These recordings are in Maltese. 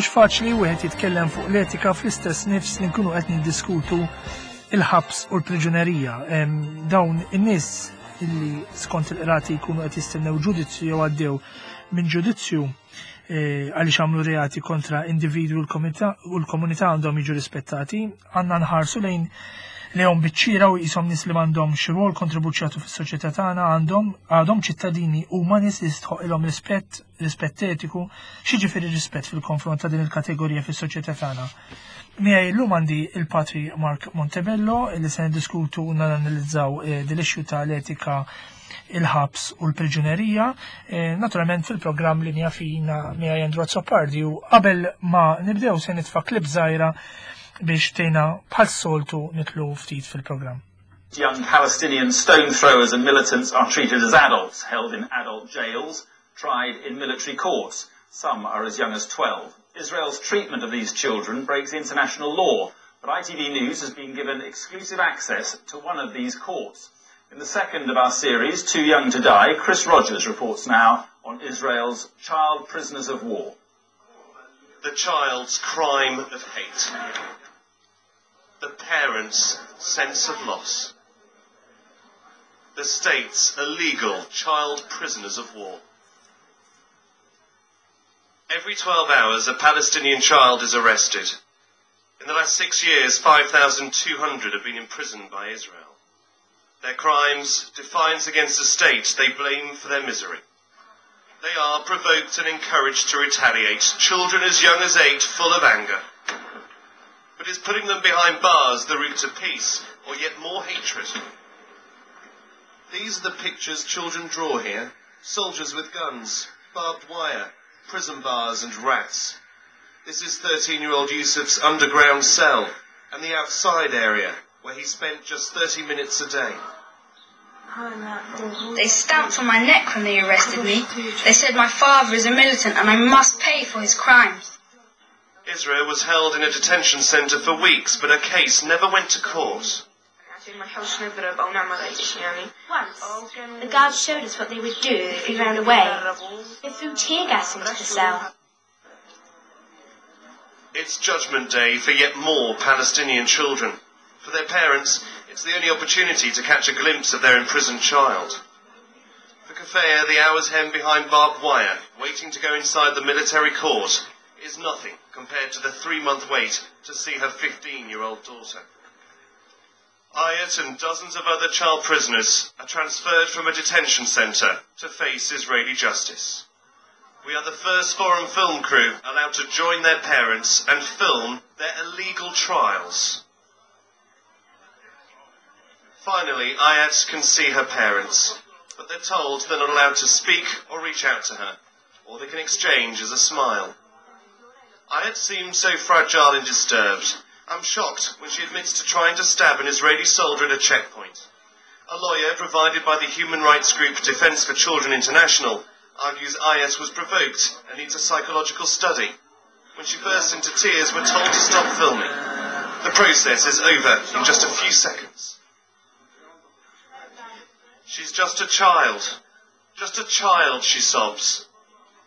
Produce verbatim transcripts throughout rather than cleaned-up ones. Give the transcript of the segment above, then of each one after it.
Mhux faċli wieħed jitkellem fuq l-etika fl-istess nifs li nkunu qed niddiskutu il-ħabs u l-priġunerija. Dawn in-nies illi skont il-qrati jkunu qed jistennew ġudizzju jew għaddew minn ġudizzju eh, għaliex għamlu reati kontra individwi u l-komunità għandhom jiġu rispettati, għandna nħarsu lejn lejhom biċ-ċira u qishom nies li m'għandhomx rwol kontribuzzjatu fis-soċjetà tagħna għandhom għadhom ċittadini huma nies li jistħoqilhom rispett, rispett etiku, x'jiġifieri rispett fil-konfront ta' din il-kategorija fis-soċjetà tagħna. Miegħi llum għandi il-Patri Mark Montebello li se niddiskutu u nanalizzaw eh, dil-issue ta' l-etika il-ħabs u l-priġunerija. Eh, naturalment fil-programm Linja Fina miegħi Andrew Azzopardi u qabel ma nibdew se nitfa' klip żgħira biex tgħinna bħal soltu nidħlu ftit fil-programm. Young Palestinian stone throwers and militants are treated as adults, held in adult jails, tried in military courts. Some are as young as twelve. Israel's treatment of these children breaks international law, but I T V News has been given exclusive access to one of these courts. In the second of our series, Too Young to Die, Chris Rogers reports now on Israel's child prisoners of war. The child's crime of hate. The parents' sense of loss. The state's illegal child prisoners of war. Every twelve hours, a Palestinian child is arrested. In the last six years, five thousand two hundred have been imprisoned by Israel. Their crimes, defiance against the state they blame for their misery. They are provoked and encouraged to retaliate, children as young as eight, full of anger. But is putting them behind bars the route to peace, or yet more hatred? These are the pictures children draw here. Soldiers with guns, barbed wire, prison bars and rats. This is thirteen-year-old Yusuf's underground cell and the outside area where he spent just thirty minutes a day. They stamped on my neck when they arrested me. They said my father is a militant and I must pay for his crimes. Isra was held in a detention centre for weeks, but her case never went to court. Once, the guards showed us what they would do if we ran away. They threw tear gas into the cell. It's Judgment Day for yet more Palestinian children. For their parents, it's the only opportunity to catch a glimpse of their imprisoned child. For Kafea, the hours hemmed behind barbed wire, waiting to go inside the military court, is nothing compared to the three-month wait to see her fifteen-year-old daughter. Ayat and dozens of other child prisoners are transferred from a detention centre to face Israeli justice. We are the first foreign film crew allowed to join their parents and film their illegal trials. Finally, Ayat can see her parents, but they're told they're not allowed to speak or reach out to her. All they can exchange is a smile. Ayat seems so fragile and disturbed. I'm shocked when she admits to trying to stab an Israeli soldier at a checkpoint. A lawyer provided by the human rights group Defence for Children International argues Ayat was provoked and needs a psychological study. When she bursts into tears, we're told to stop filming. The process is over in just a few seconds. "She's just a child. Just a child," she sobs.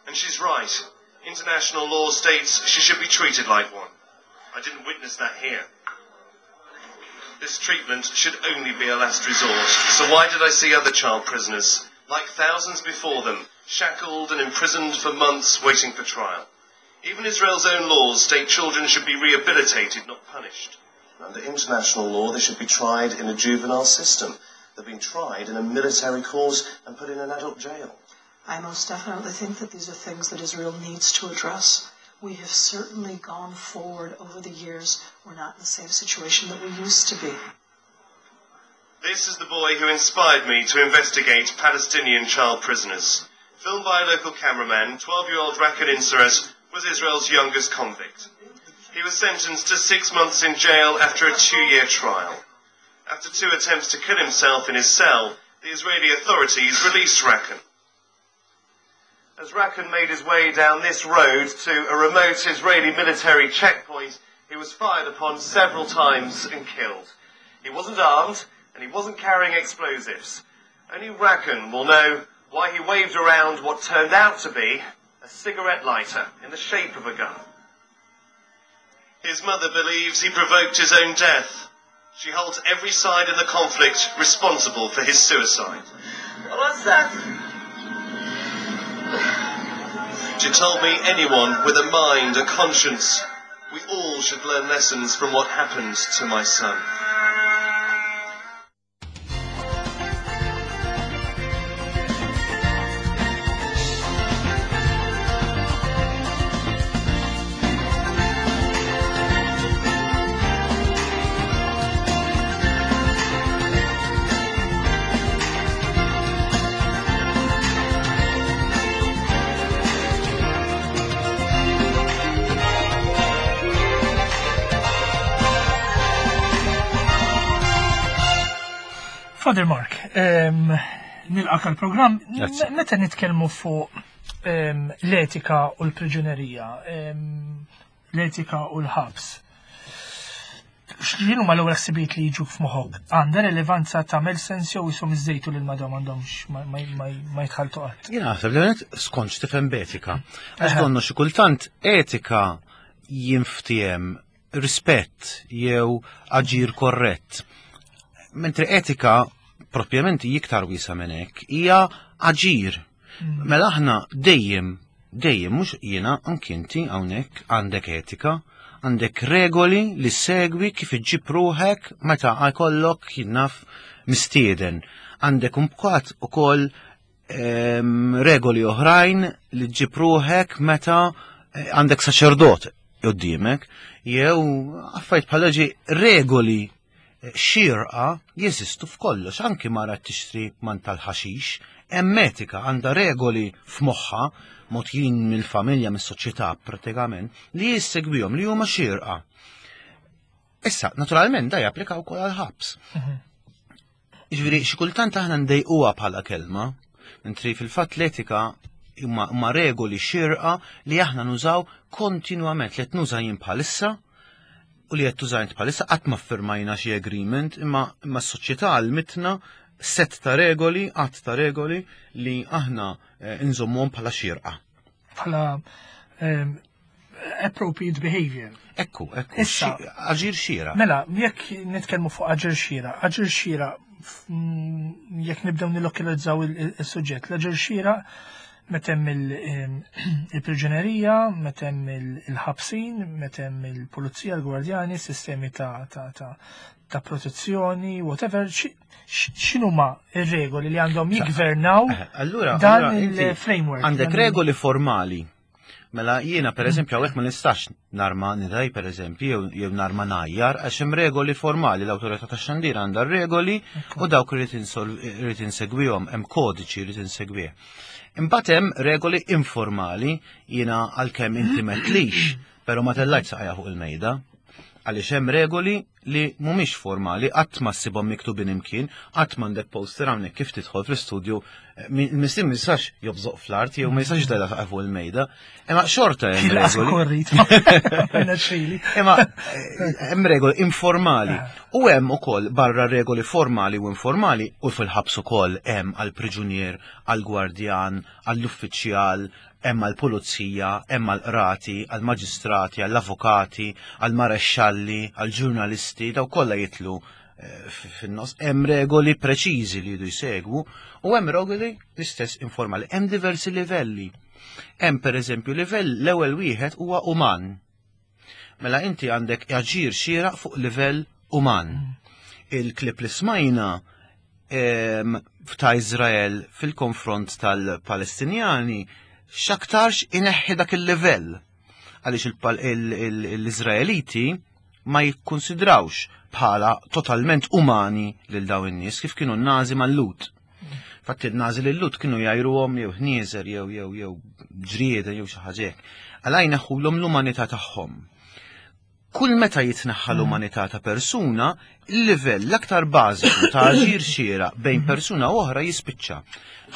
And she's right. International law states she should be treated like one. I didn't witness that here. This treatment should only be a last resort. So why did I see other child prisoners, like thousands before them, shackled and imprisoned for months waiting for trial? Even Israel's own laws state children should be rehabilitated, not punished. Under international law, they should be tried in a juvenile system. They've been tried in a military court and put in an adult jail. I most definitely think that these are things that Israel needs to address. We have certainly gone forward over the years. We're not in the same situation that we used to be. This is the boy who inspired me to investigate Palestinian child prisoners. Filmed by a local cameraman, twelve-year-old Rakan Insarat was Israel's youngest convict. He was sentenced to six months in jail after a two-year trial. After two attempts to kill himself in his cell, the Israeli authorities released Rakan. As Rakan made his way down this road to a remote Israeli military checkpoint, he was fired upon several times and killed. He wasn't armed and he wasn't carrying explosives. Only Rakan will know why he waved around what turned out to be a cigarette lighter in the shape of a gun. His mother believes he provoked his own death. She holds every side in the conflict responsible for his suicide. She told me anyone with a mind, a conscience, we all should learn lessons from what happened to my son. Father Mark, nilqak għal-programm. Meta nitkellmu fuq l-etika u l-priġunerija, l-etika u l-ħabs, x'inhu ma l-ewwel ħsibijiet li jiġu f'moħħok? Għandha relevanza tagħmel sens jew ishom iżejtu lil madhom m'għandhomx ma jitħalltu qatt? Jien naħseb li skont x'tifhem b'etika. Għax donnu xi kultant etika jinftiehem rispett jew aġir korrett. Mentri etika propjament iktar wiesa minn hekk hija aġir. Mela aħna dejjem, dejjem mhux jiena anki inti hawnhekk għandek etika, għandek regoli li segwi kif iġġib ruħek meta jkollok jinnaf mistieden. Għandek mbagħad ukoll regoli oħrajn li ġġib ruħek meta għandek saċerdot quddiemek jew affarijiet bħala ġi regoli xirqa jeżistu f'kollox, anki mara tixtri man tal-ħaxix, hemm etika għandha regoli f'moħħa mogħtijin mill-familja, mis-soċjetà pratikament, li jissegwihom li huma xirqa. Issa, naturalment da japplika wkoll għall-ħabs. Jiġifieri xi kultant aħna ndejquha bħala kelma, mentri fil-fatt l-etika huma regoli xirqa li aħna nużaw kontinwament, li qed nuża jien bħalissa u li qed tużajt bħalissa qatt ma ffirmajna xi agreement, imma imma s-soċjetà għalmitna set ta' regoli, qatt ta' regoli li aħna nżommuhom bħala xierqa. Bħala appropriate behavior. Ekku, ekku. Issa, aġir xieraq. Mela, jekk nitkellmu fuq aġir xieraq, aġir xieraq jekk nibdew nillokalizzaw il-suġġett, l-aġir xieraq meta hemm il-priġunerija, meta hemm il-ħabsin, meta hemm il-pulizija, l-gwardjani, sistemi ta' ta' ta' ta' protezzjoni, whatever, x'inhuma ir-regoli li għandhom jiggvernaw dan il-framework? Għandek regoli formali. Mela jiena pereżempju hawnhekk ma nistax narma nidaj pereżempju jew narma najjar għax hemm regoli formali, l-awtorità tax-xandir għandha regoli u dawk irid insegwihom, hemm kodiċi irid insegwih. Imbagħad hemm regoli informali, jiena għalkemm inti metlix, però ma tellajt saqajja fuq il-mejda. Għaliex hemm regoli li mhumiex formali, qatt ma ssibhom miktubin imkien, qatt m'għandek poster hawnhekk kif tidħol fl-istudju, mistin ma jistax jobżoq fl-art jew ma jistax dela fuq il-mejda, imma xorta hemm regoli. Imma hemm regoli informali. U hemm ukoll barra regoli formali u informali u fil-ħabs ukoll hemm għall-priġunier, għall-gwardjan, għall-uffiċjal, hemm għall-pulizija, hemm għall-qrati, għall-maġistrati, għall-avukati, għall-marexxalli, għall-ġurnalisti, daw kollha jitlu fin-nos. Hemm regoli preċiżi li jridu jsegwu u hemm regoli l-istess informali. Hemm diversi livelli. Hemm pereżempju livell l-ewwel wieħed huwa uman. Mela inti għandek aġir xieraq fuq livell uman. Il-klip li smajna ta' Izrael fil-konfront tal-Palestinjani x'aktarx ineħħi dak il-livell għaliex l-Iżraeliti ma jikkonsidrawx bħala totalment umani lil dawn in-nies kif kienu n-Nazi mal-Lut. Fatti n-Nazi lil-Lut kienu jgħajruhom jew ħnieżer jew jew jew ġrieda jew xi ħaġa hekk. Għala jneħħulhom l-umanità tagħhom. Kull meta jitneħħa l-umanità ta' persuna, il-livell l-aktar bażiku ta' aġir xieraq bejn persuna u oħra jispiċċa.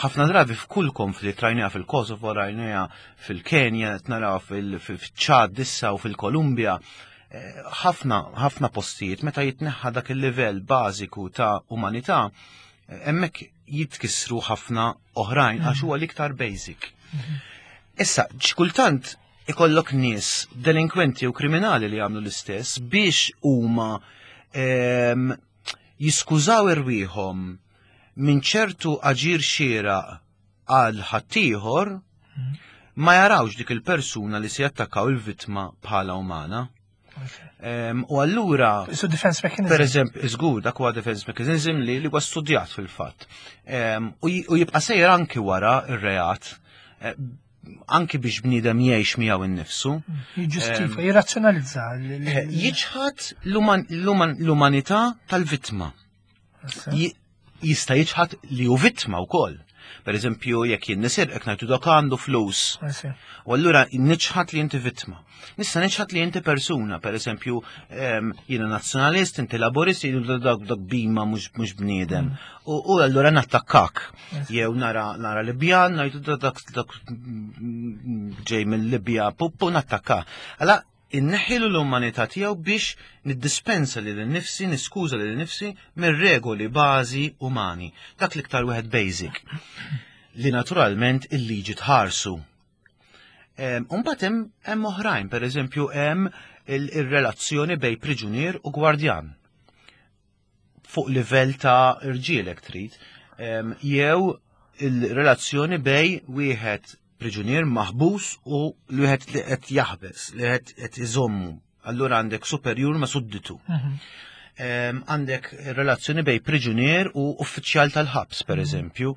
Ħafna drabi f'kull konflitt, rajniha fil-Kosovo, rajniha fil-Kenja, naraw fil-Ċad issa u fil-Kolumbja, ħafna ħafna postijiet meta jitneħħa dak il-livell bażiku ta' umanità, hemmhekk jitkissru ħafna oħrajn għax huwa l-iktar basic. Issa, xkultant Ikollok nies delinkwenti u kriminali li jagħmlu l-istess biex huma em, jiskużaw irwieħhom minn ċertu aġir xieraq għal ħaddieħor, ma jarawx dik il-persuna li se jattakkaw il-vittma bħala umana. Em, U allura So defense mechanism. Per eżempju, żgur dak huwa defense mechanism li li huwa studjat fil-fatt. Em, U j- u jibqa' sejjer anki wara ir-reat, eh, anki biex bniedem jgħix miegħu innifsu. Jiġġustifika, jirrazzjonalizza. l- l- Eh, Jiċħad l-uman- l-uman- l-umanità tal-vittma. Ji- Jista' jiċħad li hu vittma wkoll. Per eżempju, jekk jien nisirqek ngħidu dak għandu flus. I U allura niċħad li inti vittma. Nista' niċħad li inti persuna, per eżempju, em, jiena nazzjonalist, inti laborist, jiena dak dak bima mhux mhux bniedem. U u allura nattakkak. Jew nara nara Libjan, ngħidu dak dak dak ġej mill-Libja puppu nattakka. Alla inneħħilu l-umanità tiegħu biex niddispensa lil nifsi, niskuża lil nifsi mir-regoli bażi umani. Dak l-iktar wieħed basic li naturalment il-liġi tħarsu. Imbagħad hemm hemm oħrajn, per eżempju hemm il-relazzjoni bej priġunier u gwardjan. Fuq livell ta' irġielek trid, Em, jew il-relazzjoni bej wieħed priġunier maħbus u li wieħed li qed jaħbes, li qed qed iżommu. Allura għandek superjur ma' sudditu. Em, Għandek relazzjoni bej priġunier u uffiċjal tal-ħabs, per eżempju,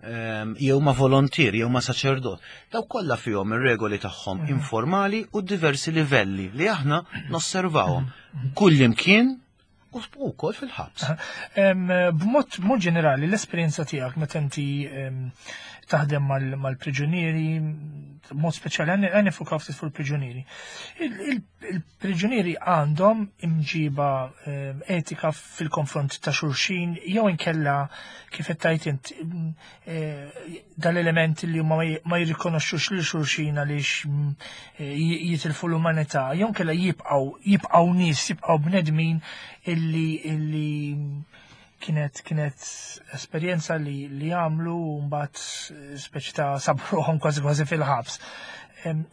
em, jew ma' volontier, jew ma' saċerdot. Daw kollha fihom ir-regoli tagħhom informali u diversi livelli li aħna nosservawhom kull imkien u wkoll fil-ħabs. Em, B'mod mod ġenerali, l-esperjenza tiegħek meta inti em, taħdem mal- mal-priġunieri, b'mod speċjali għan nifukaw ftit fuq il-priġunieri. Il-priġunieri għandhom imġiba em, etika fil-konfront ta' xulxin jew inkella kif qed tgħid int mm, eh, dal-element li huma ma j- ma jirrikonoxxux lil xulxin għaliex mm, eh, jitilfu l-umanità, jew inkella jibqgħu jibqgħu nies, jibqgħu bnedmin illi illi kienet kienet esperjenza li li għamlu u mbagħad speċi ta' sabruhom kważi kważi fil-ħabs. Em,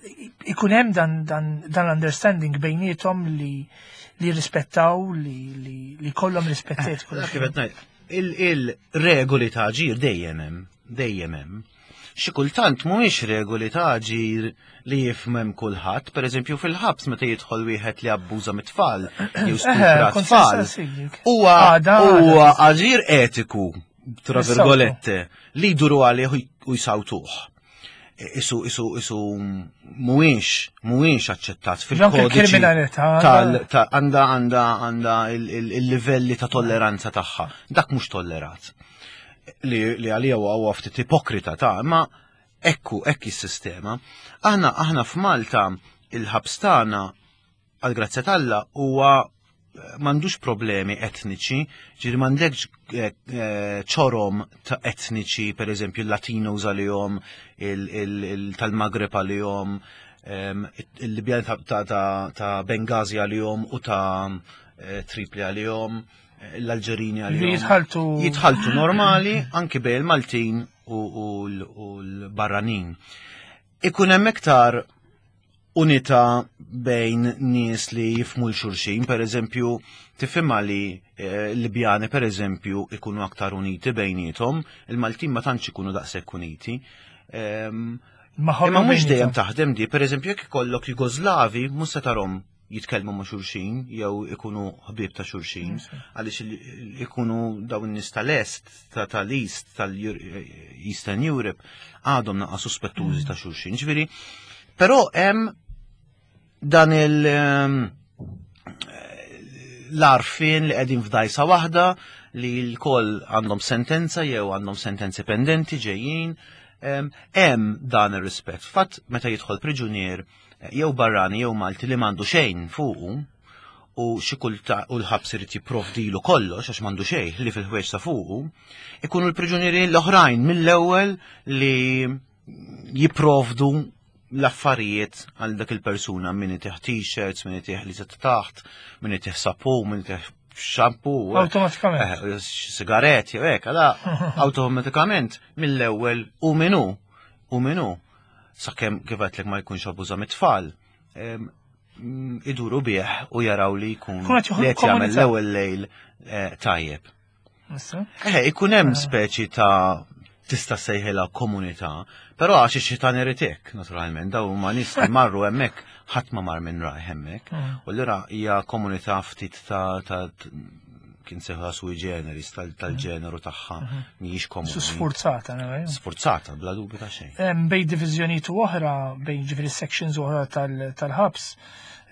Ikun hemm dan dan dan l-understanding bejniethom li li rispettaw, li li li kollhom rispett etiku. Dak kif qed ngħid, il- Il-regoli ta' ġir dejjem hemm, dejjem hemm. Xi kultant mhumiex regoli ta' ġir li jifhem kulħadd, pereżempju fil-ħabs meta jidħol wieħed li abbuża mit-tfal jew stupra kont tfal. saqsik. Huwa Għada, huwa għada. aġir etiku, tra Is-sawtu. virgolette, li jduru għalih u jsawtuh. Isu isu isu mhuwiex mhuwiex aċċettat Anke fil-kodiċi l-kriminalità tal ta' għanda għanda għanda il-livelli ta' tolleranza tagħha. Dak mhux tollerat. Li li għalija huwa huwa ftit ipokrita ta' imma ekku hekk is-sistema. Aħna aħna f'Malta il-ħabs tagħna għal grazzja t'Alla huwa eh, m'għandux problemi etniċi, ġiri m'għandekx eh, eh, ċorom ta' etniċi, per eżempju il-Latinos għalihom, il- il- il- tal-Maghreb għalihom, em, il-Libjan ta' ta' ta' ta' Benghazi għalihom u ta' eh, Tripli għalihom, eh, l-Alġerini għalihom. Jitħaltu Jitħaltu normali anki bejn il-Maltin u, u, l- u l-barranin. Ikun hemm iktar unità bejn nies li jifmu l-xulxin, per eżempju, tifhimha li eh, Libjani per eżempju ikunu aktar uniti bejniethom, il-Maltin ma tantx ikunu daqshekk uniti. Ehm, Imma mhux dejjem taħdem di, per eżempju jekk ikollok Jugoslavi, mhux se tarhom jitkellmu ma' xulxin jew ikunu ħbieb ta' xulxin, għaliex il- ikunu dawn in-nies tal-Est, ta' tal-East, tal-Eastern Europe, għadhom naqa' suspettużi ta' xulxin. Ġifieri, però hemm dan il- ehm, l-għarfien li qegħdin f'dajsa waħda li l-koll għandhom sentenza jew għandhom sentenzi pendenti ġejjin. Em, Hemm dan ir-rispett. Fatt meta jidħol priġunier eh, jew barrani jew Malti li m'għandu xejn fuqu u xi kulta u l-ħabs irid jipprovdilu kollox għax m'għandu xejn li fil-ħwieġ ta' fuqu, ikunu l-priġunieri l-oħrajn mill-ewwel li jipprovdu l-affarijiet għal dak il-persuna min itih t-shirts, min itih li taħt, min itih sapu, min itih shampoo. Awtomatikament. Eh, sigaretti, u hekk, għala, awtomatikament mill-ewwel u minu, u minu. Sakemm kif għedtlek ma jkunx abbuża mit-tfal, em, mm, iduru bih u jaraw li jkun Kun qed joħolqu li qed jagħmel komunità. l-ewwel lejl eh, tajjeb. Issa? Eh, ikun hemm speċi ta' tista' sejħilha komunità, però għax ix-xitan irid hekk, naturalment, daw huma nies li marru hemmhekk ħadd ma mar minn rajh hemmhekk. Mm. U allura hija komunità ftit ta' ta' kien sejħa sui generis tal- tal-ġeneru tagħha mhijiex Su komuni. sforzata, no, eh? Sforzata, bla dubju ta' xejn. Em, Bejn diviżjonijiet u oħra, bejn ġifieri sections oħra tal- tal-ħabs,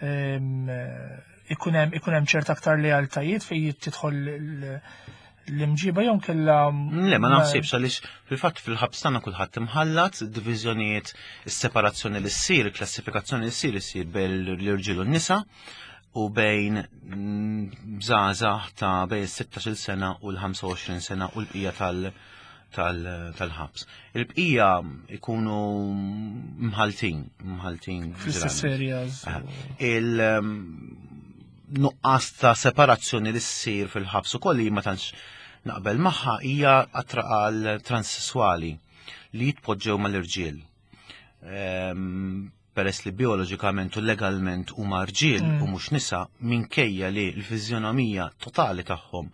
em, eh, ikun hemm ikun hemm ċert aktar lealtajiet fejn tidħol l- l-imġiba jew kella. Le, ma naħsibx għaliex fil-fatt fil-ħabs tagħna kulħadd imħallat, diviżjonijiet, is-separazzjoni li ssir, il-klassifikazzjoni li ssir issir bejn l-irġiel u n-nisa u bejn mm, żgħażagħ ta' bejn is-sittax-il sena u l-ħamsa u għoxrin sena u l-bqija tal- tal- tal-ħabs. Il-bqija ikunu mħaltin, mħaltin. Fl-istess ġeneralment. areas. Il-nuqqas ta' separazzjoni li ssir fil-ħabs ukoll li ma tantx naqbel magħha hija għattra għal transessuali li jitpoġġew mal-irġiel. Ehm, Peress li bioloġikament u legalment huma rġiel Mm. u mhux nisa minkejja li l-fiżjonomija totali tagħhom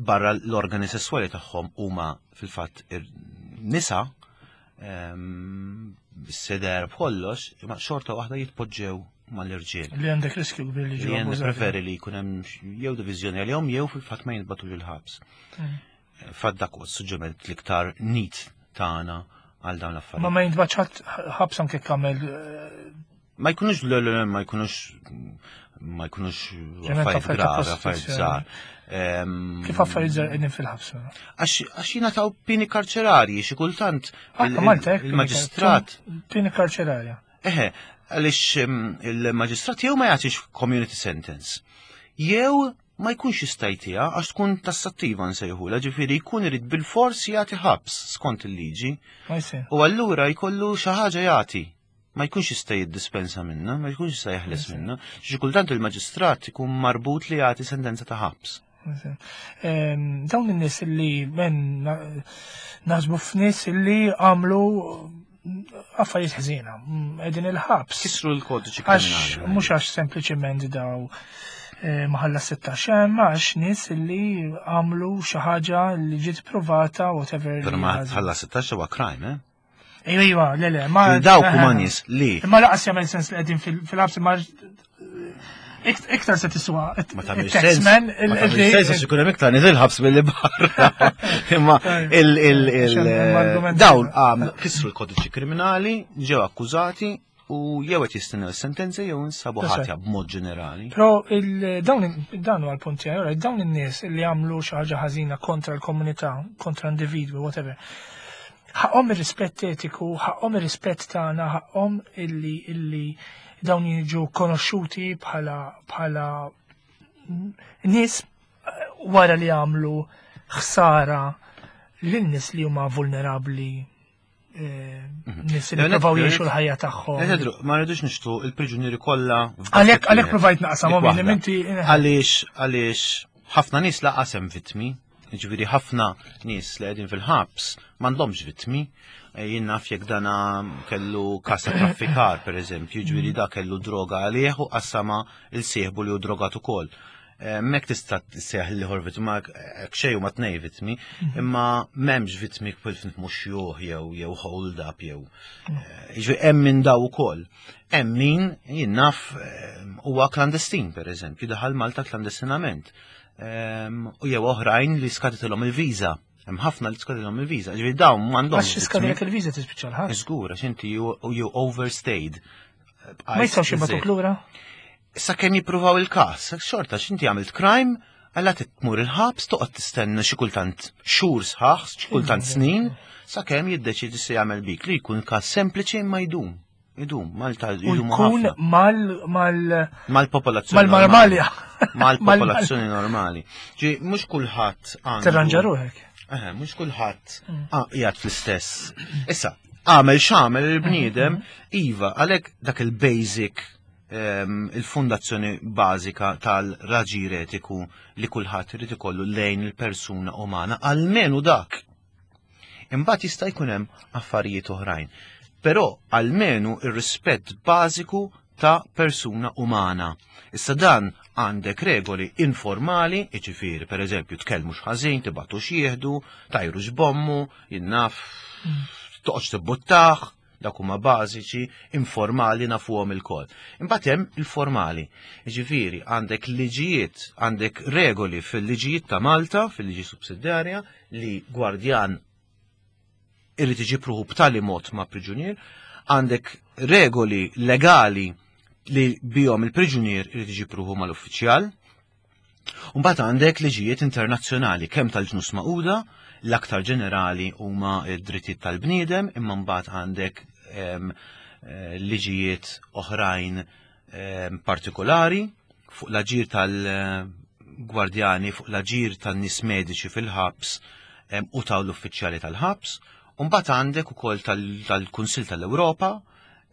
barra l-organi sessuali tagħhom huma fil-fatt ir- nisa, ehm, seder b'kollox, imma xorta waħda jitpoġġew mal-irġiel. Li għandek riskju kbir li Li ġew jien abbużati. preferi li jkun hemm jew diviżjoni għalihom jew fil-fatt ma jintbagħtux il-ħabs. Mm. Fatt dak huwa s-suġġeriment l-iktar neat tagħna għal dawn Ma l-affarijiet. ma jintbagħatx ħadd ħabs anke kamel eh, Ma jkunux le le le, ma jkunux ma jkunux Ġenet affarijiet affarijiet ta' gravi, affarijiet prostituzzjoni. żgħar. Ehm, Kif affarijiet żgħar qegħdin fil-ħabs. Għax għax jingħataw pieni karċerarji xi kultant Ah, il- Malta hekk il-maġistrat pieni karċerarja. Eħe, għaliex em, il-maġistrat jew ma jagħtix community sentence, jew ma jkunx jista' jtiha għax tkun tassattiva nsejħula, ġifieri jkun irid bil-fors jagħti ħabs skont il-liġi, Ma jsir. u allura jkollu xi ħaġa jagħti. Ma jkunx jista' jiddispensa minna, ma jkunx jista' jeħles minna. Xi kultant il-maġistrat ikun marbut li jagħti sentenza ta' ħabs. Em, Dawn in-nies li men na- naħsbu f'nies li għamlu affarijiet ħżiena, mm, qegħdin il-ħabs. Kisru l-kodiċi Għax kriminali. mhux għax sempliċement daw eh, ma ħallas sittax hemm, għax nies li għamlu xi ħaġa li ġiet provata whatever. Però li ma ħażin. tħallas sittax huwa crime, eh? Ejwa, ejwa, le, le, ma. Dawk huma nies li Imma laqas jagħmel sens li qegħdin fil- fil-ħabs imma ikt- iktar se tiswa. Ma tagħmilx sens. Il-taxman, Ma tagħmilx sens għax ikun hemm iktar nies il-ħabs milli barra. Imma il il il Għax hemm argumenti. dawn għam kisru l-kodiċi kriminali, ġew akkużati u jew qed jistennew is-sentenza jew insabu That's ħatja b'mod ġenerali. Però il- dawn dan huwa l-punt tiegħi, alright, dawn in-nies li għamlu xi ħaġa ħażina kontra l-komunità, kontra individwi, whatever. Ħaqhom ir-rispett etiku, ħaqhom ir-rispett tagħna, ħaqhom illi illi dawn jiġu konoxxuti bħala bħala nies eh, wara li għamlu ħsara lil nies li huma vulnerabbli, eh, nies li Le, provaw le, jgħixu l-ħajja tagħhom. Edru, ma rridux nixtu il-priġunieri kollha f'basket Għalhekk għalhekk wieħed. provajt naqsam Dik waħda. inti Għaliex għaliex ħafna nies laqas hemm vittmi, ġifieri ħafna nies li qegħdin fil-ħabs m'għandhomx vittmi. Eh, Jien naf jekk dana kellu każ ta' traffikar, per eżempju, ġifieri da kellu droga għalih u qassama il-sieħbu li hu drogat ukoll. Eh, Mek tista' tseħ li vittma, hekk xejn huma tnej vittmi, imma m'hemmx vittmi kif mhux juh jew jew hold up jew. eh, Ġifieri hemm minn daw ukoll. Hemm min jien naf eh, huwa klandestin, per eżempju, daħal Malta klandestinament. Ehm, U jew oħrajn li skaditilhom il-viża. Hemm ħafna li skaditilhom il-viża. Ġifieri dawn m'għandhomx. Għax skadilek il-viża tispiċċa l-ħabs. Żgur, għax inti you, you overstayed. Ma jistgħux jibagħtuk lura. Sakemm jippruvaw il-każ, xorta x'inti għamilt crime, għalla tmur il-ħabs, toqgħod tistenna xi kultant xhur sħaħ, xi kultant snin, sakemm jiddeċidi se jagħmel bik li jkun każ sempliċi imma jdum. Idum, Malta U idumu jkun ħafna. mal mal Mal-popolazzjoni. mal-Marmalja. Mal-popolazzjoni normali. Ġi, mhux kulħadd għandu. Tirranġa ruħek. Eħe, mhux kulħadd ah, qiegħed fl-istess. Issa, għamel x'għamel il-bniedem, iva, għalhekk dak il-basic ehm, il-fundazzjoni bażika tal-raġir etiku li kulħadd irid ikollu lejn il-persuna umana, almenu dak. Imbagħad jista' jkun hemm affarijiet oħrajn. Però almenu ir-rispett bażiku ta' persuna umana. Issa dan għandek regoli informali, jiġifieri, per eżempju, tkellmux ħażin, tibagħtux jieħdu, tgħajrux b'ommu, jien naf, toqgħodx tibbuttah, dak huma bażiċi, informali nafuhom ilkoll. Imbagħad hemm il-formali. Jiġifieri għandek liġijiet, għandek regoli fil-liġijiet ta' Malta, fil-liġi sussidjarja, li gwardjan irid iġib ruħu b'tali mod ma' priġunier, għandek regoli legali li bihom il-priġunier irid iġib ruħu mal-uffiċjal. Mbagħad għandek liġijiet internazzjonali kemm tal-Ġnus Magħquda, l-aktar ġenerali huma d-drittijiet tal-bniedem, imma mbagħad għandek em, eh, liġijiet oħrajn em, partikolari fuq l-aġir tal-gwardjani, fuq l-aġir tan-nies mediċi fil-ħabs em, u tal-uffiċjali tal-ħabs. Mbagħad għandek ukoll tal- tal-Kunsill tal-Ewropa,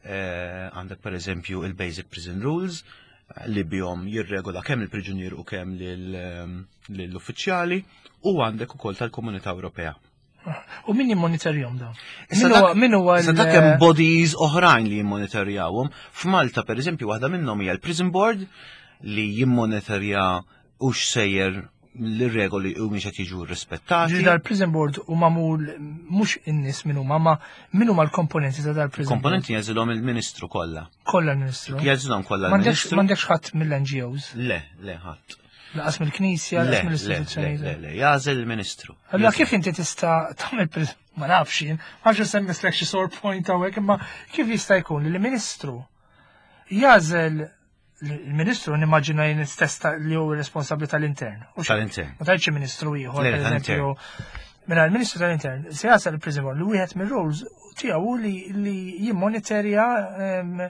eh, għandek per eżempju il-Basic Prison Rules, eh, li bihom jirregola kemm il-priġunier u kemm lil- lill-uffiċjali, u għandek ukoll tal-Komunità Ewropea. U min jimmonitorjahom dawn? Issa Min huwa dak- min huwa Issa l- dak hemm bodies oħrajn li jimmonitorjawhom. F'Malta per eżempju waħda minnhom hija l-Prison Board li jimmonitorja u x'sejjer l-regoli u mhix qed jiġu rispettati. Ġifieri dal-prison board u magħmul mhux in-nies min huma, ma min huma l-komponenti ta' dal-prison board? Komponenti jagħżilhom il-Ministru kollha. Kollha l-Ministru. Jagħżilhom kollha M'għandekx l-Ministru. m'għandekx ħadd mill-N G Os, Le, le, ħadd. lanqas mill-Knisja, Le, lanqas le, le, mill-istituzzjonijiet. le, jagħżel il-Ministru. Allora kif inti tista' tagħmel pris- ma nafx jien, ma nafx semmislek xi sore point hawnhekk, imma kif jista' jkun li l-Ministru jagħżel il-Ministru, nimmaġina jien stess ta' li hu responsabbli tal-intern. U xi- Tal-intern. Ma tgħidx ministru ieħor, Le, per eżempju. Mela l-Ministru tal-Intern se jagħżel il-prison board li wieħed mir-roles tiegħu li li jimmonitorja em,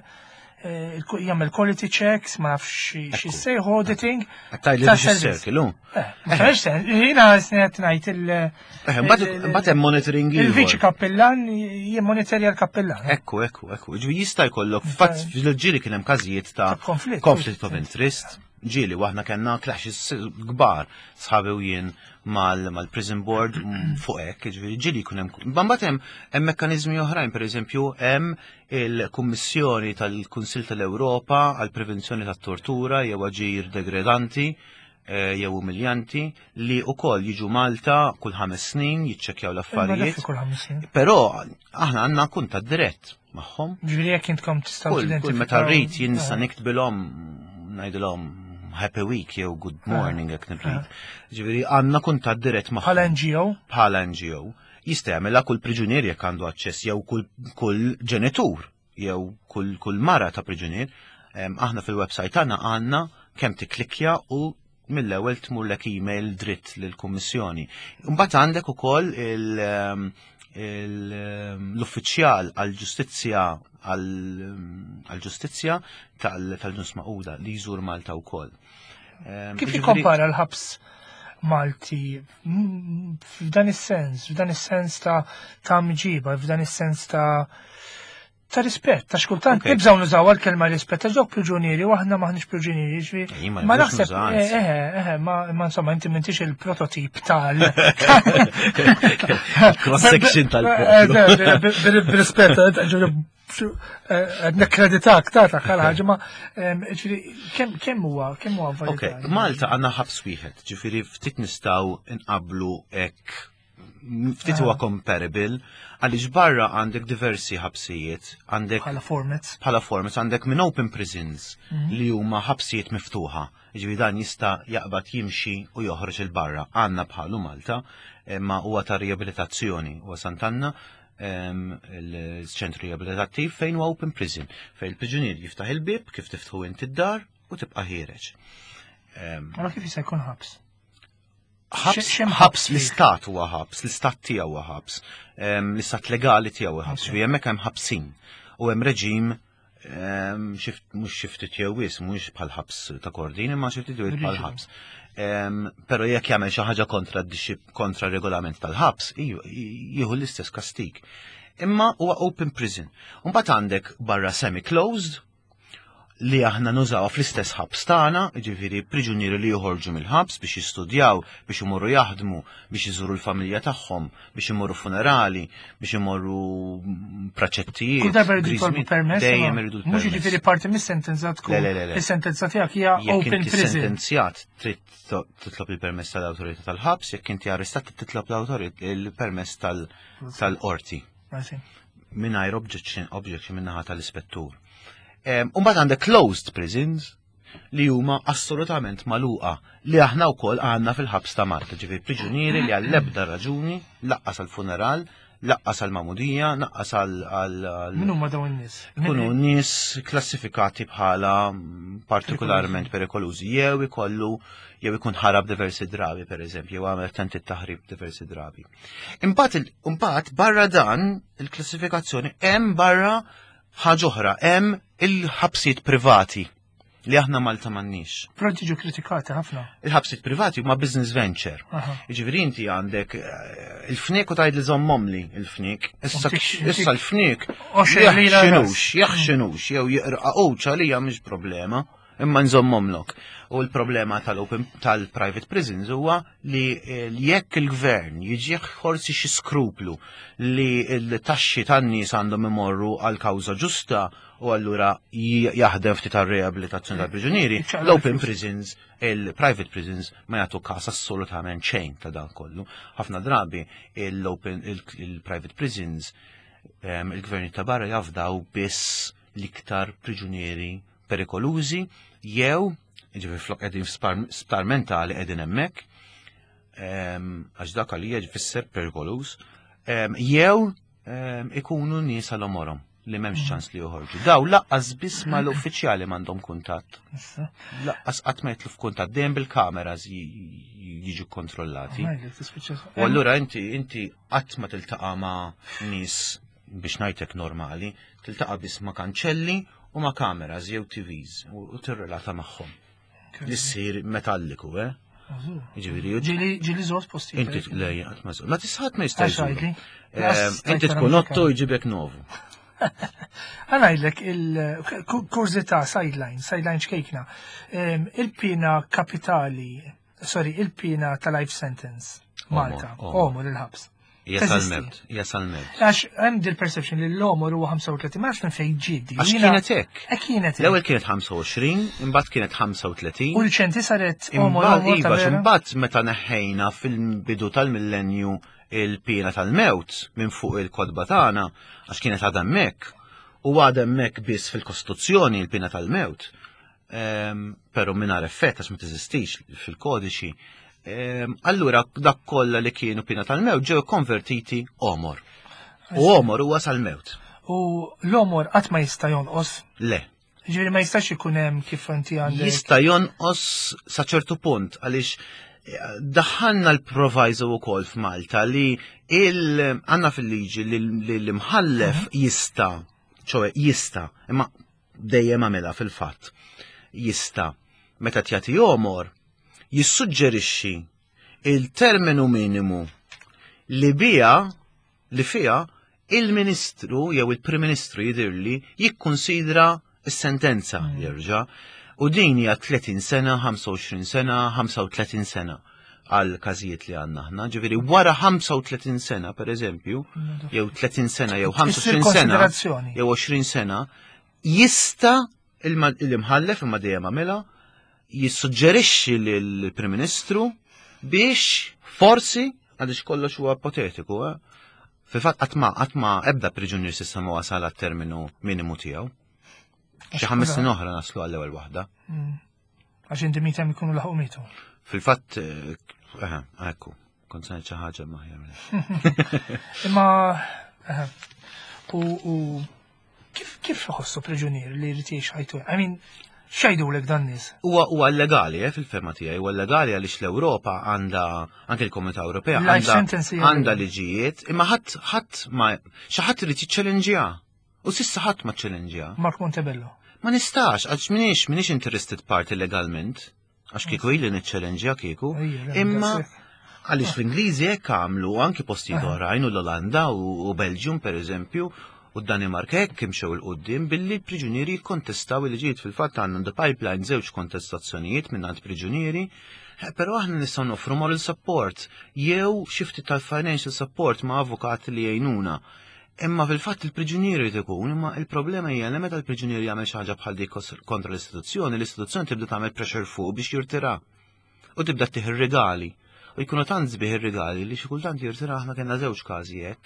eh, il- jagħmel quality checks, ma nafx xi xi sejħu auditing. Għattaj li ta' biex servizz. circle, hu. Eh, ma tafx sen, jiena snet ngħid il- Eh, Mbagħad mbagħad hemm monitoring ieħor. Il-viċi kappellan jimmonitorja l-kappellan. Ekku, ekku, ekku. Ġifieri jista' jkollok, fatt fil-ġieli kien hemm każijiet ta' Ta' konflitt. Conflict of interest. Ġieli, u aħna kellna clashes kbar, sħabi u jien mal- mal-prison board mm, fuq hekk, ġifieri ġieli jkun hemm. Mbagħad hemm hemm mekkaniżmi oħrajn, pereżempju hemm il-Kummissjoni tal-Kunsill tal-Ewropa għal prevenzjoni tat-tortura jew aġir degradanti eh, jew umiljanti li wkoll jiġu Malta kull ħames snin jiċċekkjaw l-affarijiet. Kull ħames snin. Però aħna għandna kuntatt dirett magħhom. Ġifieri jekk intkom tistgħu Kull, kull meta rrid jien nista' niktbilhom, ngħidilhom happy week jew good morning jekk nirrid. Ġifieri għandna kuntatt dirett magħhom. Bħala N G O, Bħala N G O. Jista' jagħmilha kull priġunier jekk għandu aċċess jew kull, kull ġenitur jew kull, kull mara ta' priġunier. Em, Aħna fil-website tagħna għandna kemm tikklikkja u mill-ewwel tmurlek email dritt lill-Kummissjoni. Imbagħad għandek ukoll il- em, il- em, l-uffiċjal għall-ġustizzja għall-ġustizzja tal-Ġnus Magħquda li jżur Malta wkoll. Em, Kif Jiġifieri- jikkompara l-ħabs Malti mm, f'dan is-sens, f'dan is-sens ta' ta' mġiba, f'dan is-sens ta' ta' rispett, ta' xkultant Ok. nibżgħu nużaw għal-kelma rispett, ta' dawk priġunieri u aħna maħniex priġunieri, ġifieri. Ej, ma Ma nibżgħux naħseb, nużaw, anzi. eh, eh, ma ma insomma, inti m'intix il-prototip tal. Cross section tal-poplu. B'rispett, nekkreditak ta' ta' ħaġa, ma ġifieri, kemm kemm huwa, kemm huwa Ok, validali? Malta għandna ħabs wieħed, ġifieri ftit nistgħu nqablu hekk, ftit huwa comparable, għaliex barra għandek diversi ħabsijiet, għandek Bħala formats. Bħala formats għandek minn open prisons li huma ħabsijiet miftuħa. Ġifieri dan jista' jaqbad jimxi u joħroġ 'il barra. Għandna bħalu Malta, imma huwa ta' riabilitazzjoni, huwa Sant'Anna, em, il-ċentru riabilitattiv fejn huwa open prison, fejn il-priġunier jiftaħ il-bib kif tiftħu inti d-dar u tibqa' ħiereġ. Em, Allora kif jista' jkun ħabs? ħabs, X'hemm ħabs ħabs fih? l-istat huwa ħabs, l-istat tiegħu huwa ħabs, em, l-istat legali tiegħu huwa ħabs, ġifieri hemmhekk hemm ħabsin u hemm reġim em, xift mhux xi ftit jew wisq, mhux bħal ħabs ta' Kordin, imma xi ftit jew bħal Riġidu. ħabs. Em, Però jekk jagħmel xi ħaġa kontra d-discip- kontra regolament tal-ħabs, iju- jieħu l-istess kastig. Imma huwa open prison. Mbagħad għandek barra semi-closed li aħna nużawha fl-istess ħabs tagħna, jiġifieri priġunieri li joħorġu mill-ħabs biex jistudjaw, biex imorru jaħdmu, biex iżuru l-familja tagħhom, biex imorru funerali, biex imorru praċettijiet. Kull darba jridu jitolbu permess. Dejjem iridu Mhux l-permess. jiġifieri parti mis-sentenza tkun. Le, le, le, le. Is-sentenza tiegħek hija Jekk open inti prison. sentenzjat trid to- titlob il-permess tal-awtorità tal-ħabs, jekk inti arrestat titlob l-awtorità il-permess tal- tal-qorti I see. mingħajr objection objection min-naħa tal-ispettur. Umbagħad għandek closed prisons li huma assolutament magħluqa li aħna wkoll għandna fil-ħabs ta' Malta, ġifieri priġunieri li għall-ebda raġuni laqqas għall-funeral, laqqas għall-magħmudija, laqqas għal għal Min huma dawn in-nies? Kunu nies klassifikati bħala mm, partikolarment perikolużi, jew ikollu jew ikun ħarab diversi drabi, per eżempju, jew għamel tentit taħrib diversi drabi. Imbagħad il- imbagħad barra dan il-klassifikazzjoni hemm barra ħaġa oħra, hemm il-ħabsijiet privati li aħna Malta m'għandniex. Però tiġu kritikati ħafna. Il-ħabsijiet privati huma business venture. Aha. Jiġifieri inti għandek eh, il-fniek u tgħid li żommhomli il-fniek. Issa Intik- issa l-fniek Għoxrin lira jaħxinux, ras. jaħxinux, jew jiqraqux għalija mhix problema, imma nżommhomlok. U l-problema tal-open tal-private prisons huwa li eh, jekk il-gvern jiġih forsi xi skruplu li l-taxxi tan-nies għandhom imorru għal kawża ġusta u allura j- jaħdem ftit tar-reabilitazzjoni tal-priġunieri, Iċċaqlaq l-open il-flus. prisons, il-private prisons ma jagħtu każ assolutament xejn ta' dan kollu. Ħafna drabi l-open il-private prisons em, il-gvern ta' barra jafdaw biss l-iktar priġunieri perikolużi jew ġifieri flok qegħdin f'spar- sptar mentali qegħdin hemmhekk em, għax dak għalija jfisser perikoluż, em, jew em, ikunu nies għal għomorhom li m'hemmx ċans li joħorġu. Daw laqqas biss mal-uffiċjali m'għandhom kuntatt. Issa. Laqqas qatt ma jitlu f'kuntatt dejjem bil-kameras ji- jiġu kontrollati. Ngħidlek, tispiċċa- U allura inti inti qatt ma tiltaqa' ma' nies biex ngħidlek normali, tiltaqa' biss ma' kanċelli u ma' kameras jew T Vs u u tirrelata magħhom. Li ssir metalliku, eh? Jiġifieri, Ġieli ġieli żort postijiet. inti le qatt ma żur. Ma tisħat ma jista' Għax jżuru. għidli. Eh, Inti tkun otto jġibek novu. Ħa ngħidlek il-kurżità sideline, sideline ċkejkna. Em, Il-pina kapitali, sorry, il-pina ta' life sentence, Malta, Għomor, għomor il-ħabs. Hija Teżisti. sal-mewt, hija sal-mewt. Għax hemm dil perception li l-għomor huwa ħamsa u tletin, ma nafx minn fejn ġiedi. Għax Jiena- kienet hekk. Eh, kienet hekk. L-ewwel kienet ħamsa u għoxrin, imbagħad kienet ħamsa u tletin. U l-ċenti saret għomor Imbagħad għomor ta' iva, vera. imbagħad meta neħħejna fil-bidu tal-millenju il-pina tal-mewt minn fuq il-kotba tagħna, għax kienet għadha hemmhekk, u għadha hemmhekk biss fil-Kostituzzjoni il-pina tal-mewt, ehm, però mingħajr effett għax ma teżistix fil-kodiċi. ehm, Allura dak kollha li kienu pina tal-mewt ġew konvertiti għomor. U għomor huwa sal-mewt. U l-għomor qatt ma jista' jonqos. Le. Ġifieri ma jistax ikun hemm kif inti għandek. Jista' jonqos sa ċertu punt għaliex eh, daħħalna l-proviso wkoll f'Malta li il għandna fil-liġi li li l-imħallef jista', ċoè jista', imma dejjem għamilha fil-fatt, jista' meta tjagħti għomor jissuġġerixxi il-terminu minimu li bija li fija il-ministru jew il-Prim Ministru jidirli jikkonsidra s-sentenza jerġa' u din hija tletin sena, ħamsa u għoxrin sena, ħamsa u tletin sena għal każijiet li għandna aħna. Ġifieri wara ħamsa u tletin sena, per eżempju, jew tletin sena, jew ħamsa u għoxrin sena, konsiderazzjoni. jew għoxrin sena, jista' il-ma- l-imħallef imma dejjem għamilha jissuġġerixxi lill-Prim Ministru biex forsi, għaliex kollox huwa ipotetiku, eh? Fil-fatt qatt ma qatt ma ebda priġunier s'issa ma wasal għat-terminu minimu tiegħu. Xi ħames snin oħra naslu għall-ewwel waħda. Għax inti mitem ikunu laħqu mitu. Fil-fatt, eh, eh, ekku, kont se ngħid xi ħaġa ma aħjar. Imma eh, u u kif kif iħossu priġunier li jrid jgħix ħajtu? I mean, x'jgħidulek dan nies? Huwa huwa legali, eh, fil-fehma tiegħi, huwa legali għaliex l-Ewropa għandha, anke l-Komunità Ewropea Life għandha sentence hija għandha liġijiet, imma ħadd ħadd ma xi ħadd irid jiċċellenġjaha. U s'issa ħadd ma ċċellenġjaha. Mark Montebello. Ma nistax, għax minix, minix interested party legalment, għax kieku ili niċċellenġja kieku, Ejja, le, imma daqshekk. għaliex l-Ingliżi hekk għamlu anki postijiet oħrajn u l-Olanda u u Belgium per eżempju, U d-Danimarka hekk imxew 'il quddiem billi l-priġunieri jikkontestaw il-liġijiet. Fil-fatt għandna the pipeline żewġ kontestazzjonijiet minn għand priġunieri, però aħna nistgħu noffru moral support jew xi ftit tal-financial support ma' avukati li jgħinuna. Imma fil-fatt il-priġunieri jrid ikun, imma il-problema hija li meta l-priġunieri jagħmel xi ħaġa bħal dik kontra l-istituzzjoni, l-istituzzjoni tibda tagħmel pressure fuq biex jirtira. U tibda ttih ir-rigali. U jkunu tant sbieħ ir-rigali li xi kultant jirtira. Aħna kellna żewġ każi hekk.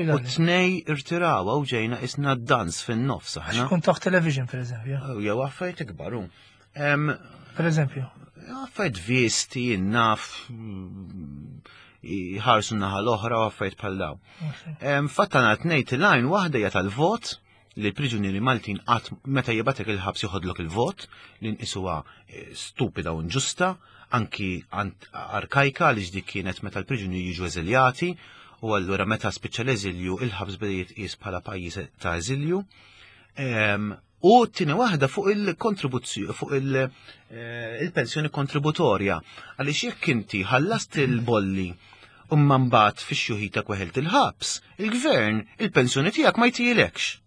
U tnej irtiraw u ġejna isna dans fin-nofs aħna. Kun taħt television, per eżempju. Jew affarijiet ikbar. Per eżempju. Affarijiet visti, naf, jħarsu naħa l-oħra u affarijiet bħal daw. Fatt għandna tnejn tilgħin, waħda hija tal-vot, li l-priġunieri Maltin qatt meta jibgħatek il-ħabs joħodlok il-vot, li nqisuha stupida u inġusta, anki arkajka, li dik kienet meta l-priġunieri jiġu eżiljati, u allura meta spiċċa l-eżilju il-ħabs beda jitqies bħala pajjiż ta' eżilju. U t-tieni waħda fuq il-kontribuzzjoni, fuq il-pensjoni kontributorja, għaliex jekk inti ħallast il-bolli u mbagħad fix-xjuħitek weħilt il-ħabs, il-gvern il-pensjoni tiegħek ma jtijilekx.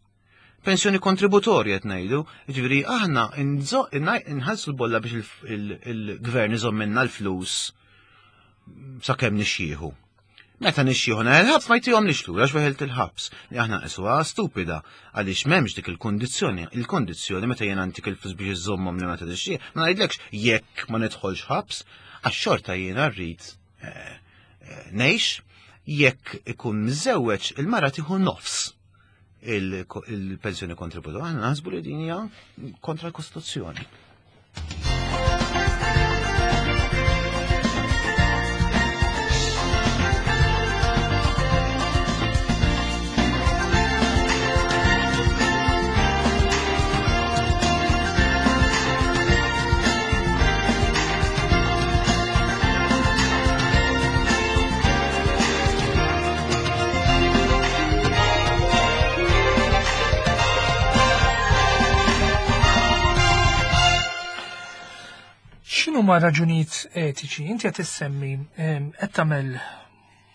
Pensjoni kontributorja qed ngħidu, jiġifieri aħna nħallsu l-bolla biex il-gvern iżomm minna l-flus sakemm nixjieħu. Meta nixjieħu il-ħabs ma jtihom lix lura għax weħilt il-ħabs. Li aħna nqisuha stupida għaliex m'hemmx dik il-kondizzjoni. Il-kondizzjoni meta jien għantik il-flus biex iżommhom li meta tixjieħ, ma ngħidlekx jekk ma nidħolx ħabs, għax xorta jiena rrid ngħix. Jekk ikun miżewweġ il-mara tieħu nofs il-pensjoni kontributorja. Aħna naħsbu li din hija kontra l-Kostituzzjoni. X'inhuma raġunijiet etiċi? Inti qed issemmi qed tagħmel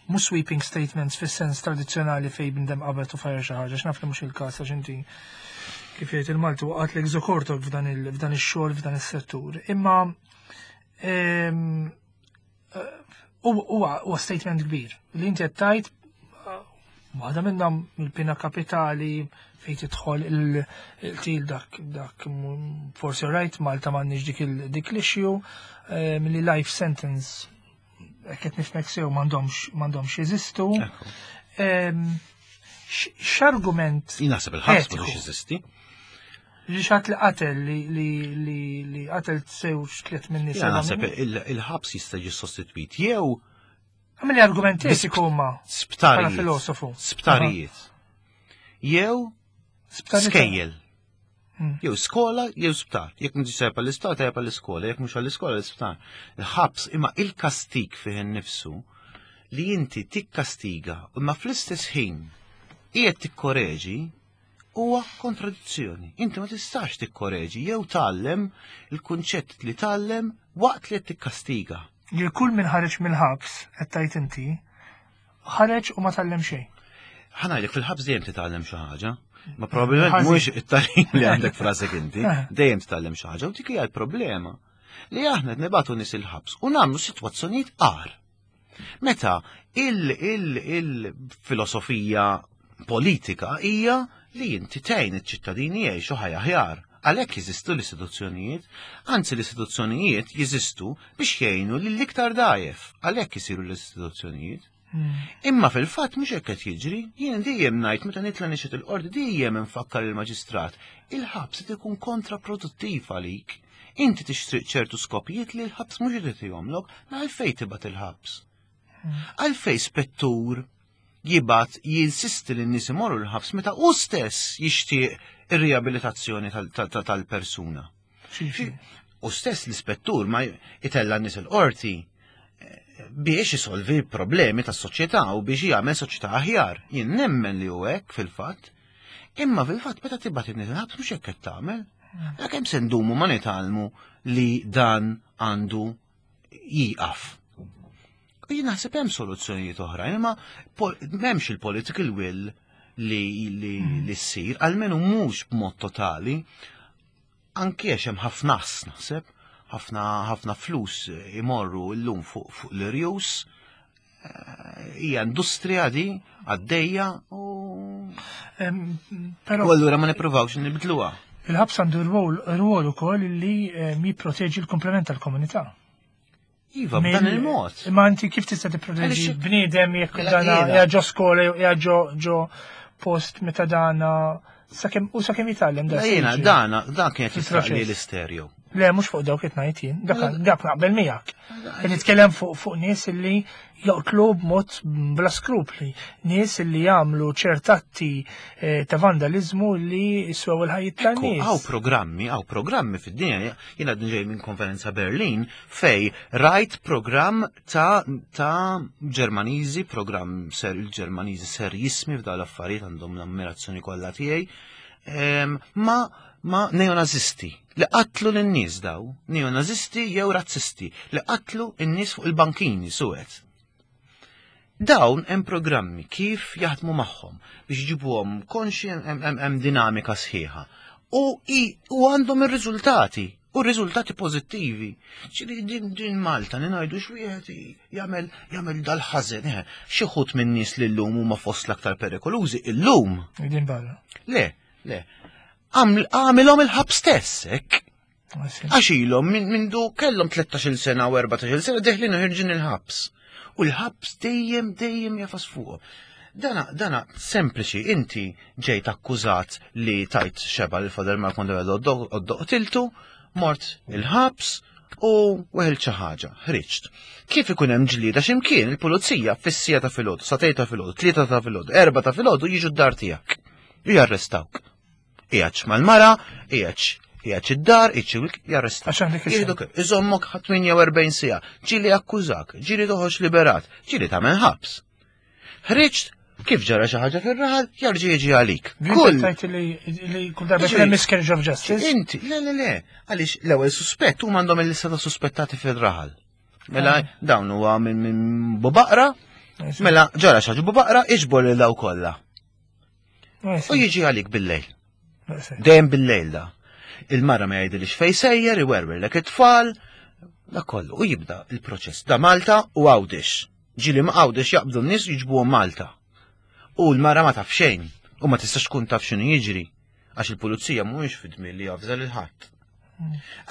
mhux sweeping statements fis-sens tradizzjonali fejn bniedem qabel u fajjar xi ħaġa, x'naf li mhux il-każ għax inti kif jgħid il-Malti waqgħet żokortok f'dan ix-xogħol, f'dan is-settur. Imma huwa statement kbir li inti qed tgħid waħda minnhom il-pina kapitali fejn tidħol il-til dak dak forsi right, Malta m'għandniex dik dik l-issue, li life sentence qed nifhmek sew m'għandhomx m'għandhomx jeżistu. X'argument? Jien naħseb il-ħabs m'għandux jeżisti. Li xat li qatel li li qatel sew tliet minn nies. Jien naħseb il-ħabs jista' jiġi sostitwit jew Għamili argument etiku huma. Sptarijiet. Filosofu. Sptarijiet. Jew skejjel. Jew skola, jew sptar. Jekk mhux tajjeb għall-isptar, tajjeb għall-iskola, jekk mhux għall-iskola, l-isptar. Il-ħabs imma il-kastig fih innifsu li inti tikkastiga imma fl-istess ħin qiegħed tikkoreġi huwa kontradizzjoni. Inti ma tistax tikkoreġi jew tgħallem il-kunċett li tgħallem waqt li qed tikkastiga. Li kull min ħareġ mill-ħabs, qed tgħid inti, ħareġ u ma tgħallem xejn. Ħa ngħidlek, fil-ħabs dejjem titgħallem xi ħaġa. Ma probabbilment mhux it-tagħlim li għandek frasek inti, dejjem titgħallem xi ħaġa u dik hija l-problema. Li aħna qed nibagħtu nies il-ħabs u nagħmlu sitwazzjonijiet agħar. Meta il-filosofija politika hija li inti tgħin iċ-ċittadini jgħixu ħajja aħjar. Għalhekk jeżistu l-istituzzjonijiet, anzi l-istituzzjonijiet jeżistu biex jgħinu lill-iktar dgħajjef, għalhekk isiru l-istituzzjonijiet. Imma fil-fatt mhux hekk qed jiġri, jien dejjem ngħid meta nitla' nixhed il-qorti dejjem infakkar il-maġistrat, il-ħabs qed ikun kontraproduttiv għalik. Inti tixtriq ċertu skopijiet li l-ħabs mhux irid jagħmlok, ma għalfejn tibgħat il-ħabs. Għalfejn spettur jibgħat jinsisti li n-nies imorru l-ħabs meta hu stess jixtieq ir-riabilitazzjoni tal-persuna. U stess l-ispettur ma itella n-nies il-qorti biex isolvi problemi tas-soċjetà u biex jagħmel soċjetà aħjar. Jien nemmen li hu hekk fil-fatt. Imma fil-fatt meta tibgħat in-nies il-ħabs mhux hekk qed tagħmel. Kemm se ndumu ma nitgħallmu li dan għandu jieqaf. U jien naħseb hemm soluzzjonijiet oħrajn, imma m'hemmx il-political will li li li ssir, almenu mhux b'mod totali, anke għax hemm ħafna naħseb, ħafna ħafna flus imorru llum fuq fuq l-irjus, hija industrija di għaddejja u Però u allura ma nippruvawx nibdluha. Il-ħabs għandu rwol ukoll li jipproteġi l-komplement tal-komunità. Iva, b'dan il-mod. Imma inti kif tista' tipproteġi bniedem jekk dana ġo skola jew ġo ġo post meta dana sakemm u sakemm jitgħallem da. Jiena dana dan kien qed jisraq l-istereo. Le, mhux fuq dawk qed ngħid jien, dak dak naqbel miegħek. Qed nitkellem fuq fuq nies illi joqtlu b'mod bla skrupli, nies illi jagħmlu ċertatti ta' vandalizmu li jiswew il-ħajjiet tan-nies. Hawn programmi, hawn programmi fid-dinja, jiena ġej minn konferenza Berlin fej rajt programm ta' ta' Ġermaniżi, programm ser il-Ġermaniżi ser jismi f'dawn l-affarijiet għandhom l-ammirazzjoni kollha tiegħi, ma' ma' neonazisti li qatlu lin-nies daw, neonazisti jew razzisti li qatlu n-nies fuq il-bankini suwed. Dawn hemm programmi kif jaħdmu magħhom biex jġibuhom konxi hemm dinamika sħiħa. U u għandhom ir-riżultati, u r-riżultati pożittivi. Ġieli din din Malta li ngħidu x'wieħed jagħmel jagħmel dal-ħażen, xi ħut min-nies li llum huma fost l-aktar perikolużi illum. Din barra. Le, le. Għamilhom il-ħabs stess, hekk. Għax ilhom minn du kellhom tlettax-il sena u erbatax-il sena deħlin u ħirġin il-ħabs. U l-ħabs dejjem dejjem jafas fuqhom. Dana, dana sempliċi, inti ġejt akkużat li tajt xeba l Father Mark Mondevelo qtiltu, mort il-ħabs u weħel xi ħaġa, ħriġt. Kif ikun hemm ġlieda x'imkien il-pulizija fis-sija ta' filgħodu, satej ta' filgħodu, tlieta ta' filgħodu, erba' ta' filgħodu jiġu d-dar tiegħek. U jarrestawk. Ijaċ mal-mara, ijaċ, ijaċ id-dar, iċ jarrestawk. Għax Iżommok tmienja u erbgħin siegħa, ġieli akkużak, ġieli toħroġ liberat, ġieli tagħmel ħabs. Ħriġt, kif ġara xi ħaġa fir-raħal, jarġa' jiġi għalik. Kull tajt li kull darba kien hemm miscarriage of justice. Inti, le le le, għaliex l-ewwel suspett huma għandhom il-lista ta' suspettati fir-raħal. Mela dawn huwa minn Bubaqra, mela ġara xi ħaġa Bubaqra, iġbor lil daw kollha. U jiġi għalik bil-lejl. Dejjem bil-lejl da. Il-mara ma jgħidilix fejn sejjer, iwerwerlek it-tfal, da kollu. U jibda il-proċess da Malta u Għawdex. Ġieli ma Għawdex jaqbdu n-nies jiġbuhom Malta. U l-mara ma taf xejn, u ma tistax tkun taf x'inhu jiġri, għax il-pulizija mhuwiex fid-dmir li jafża lil ħadd.